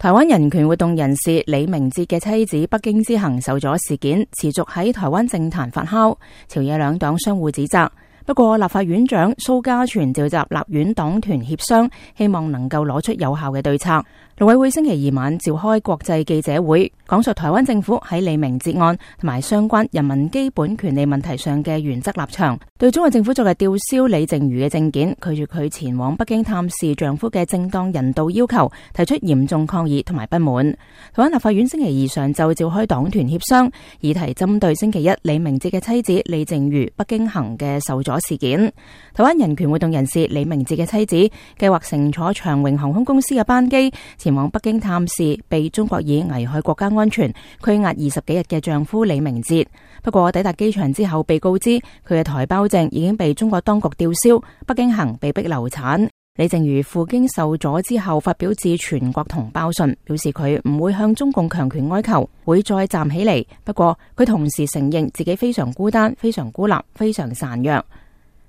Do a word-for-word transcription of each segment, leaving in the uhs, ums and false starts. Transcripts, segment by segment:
台灣人權活動人士李明哲嘅妻子北京之行受阻事件持續喺台灣政壇發酵，朝野兩黨相互指責。不過立法院長蘇嘉全召集立院黨團協商，希望能夠攞出有效嘅對策。陸委會星期二晚召開國際記者會，講述台灣政府喺李明哲案同埋相關人民基本權利問題上嘅原則立場，對中國政府昨日吊銷李淨瑜嘅證件，拒絕佢前往北京探視丈夫嘅正當人道要求，提出嚴重抗議同埋不滿。台灣立法院星期二上晝召開黨團協商，議題針對星期一李明哲嘅妻子李淨瑜北京行嘅受阻事件。台灣人權活動人士李明哲嘅妻子計劃乘坐長榮航空公司嘅班機前往北京探視被中國以危害國家安全拘押二十幾日嘅丈夫李明哲。不過抵達機場之後被告知佢嘅台胞證已經被中國當局吊銷，北京行被逼流產。李淨瑜赴京受阻之後發表致全國同胞信，表示佢唔會向中共強權哀求，會再站起嚟。不過佢同時承認自己非常孤單、非常孤立、非常孱弱。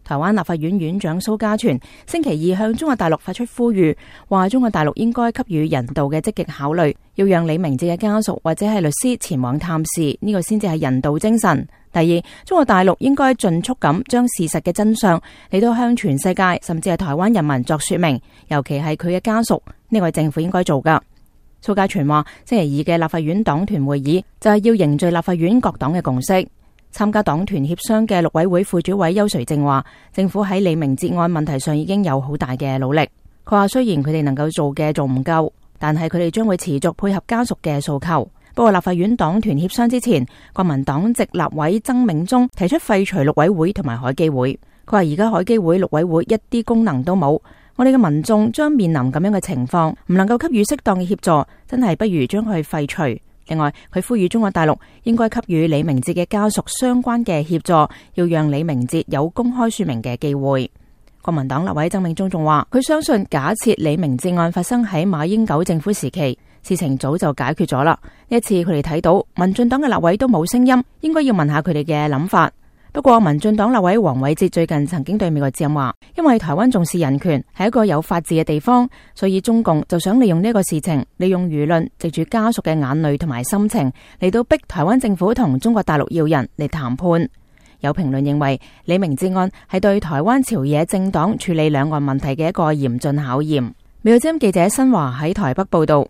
台灣立法院院長蘇嘉全星期二向中國大陸發出呼籲，話中國大陸應該給予人道嘅積極考慮，要讓李明哲嘅家屬或者係律師前往探視，呢個先至係人道精神。第二，中國大陸應該盡速咁將事實嘅真相嚟到向全世界甚至係台灣人民作說明，尤其係佢嘅家屬，呢個係政府應該做噶。蘇嘉全話，星期二嘅立法院黨團會議就係要凝聚立法院各黨嘅共識。參加黨團協商嘅陸委會副主委邱垂正話，政府喺李明哲案問題上已經有好大嘅努力。佢話雖然佢哋能夠做嘅仲唔夠，但係佢哋將會持續配合家屬嘅訴求。不過立法院黨團協商之前，國民黨籍立委曾銘宗提出廢除陸委會同埋海基會。佢話而家海基會、陸委會一啲功能都冇，我哋嘅民眾將面臨咁樣嘅情況，唔能夠給予適當嘅協助，真係不如將佢廢除。另外，佢呼籲中國大陸應該給予李明哲嘅家屬相關嘅協助，要讓李明哲有公開說明嘅機會。國民黨立委曾銘宗仲話，佢相信假設李明哲案發生喺馬英九政府時期，事情早就解決咗啦。呢一次佢哋睇到民進黨嘅立委都冇聲音，應該要問下佢哋嘅諗法。不過民進黨立委黃偉哲最近曾經對美國之音話，因為台灣重視人權，係一個有法治嘅地方，所以中共就想利用呢個事情，利用輿論，藉住家屬嘅眼淚同埋心情嚟到逼台灣政府同中國大陸要人嚟談判。有評論認為，李明哲案係對台灣朝野政黨處理兩岸問題嘅一個嚴峻考驗。美國之音記者新華喺台北報道。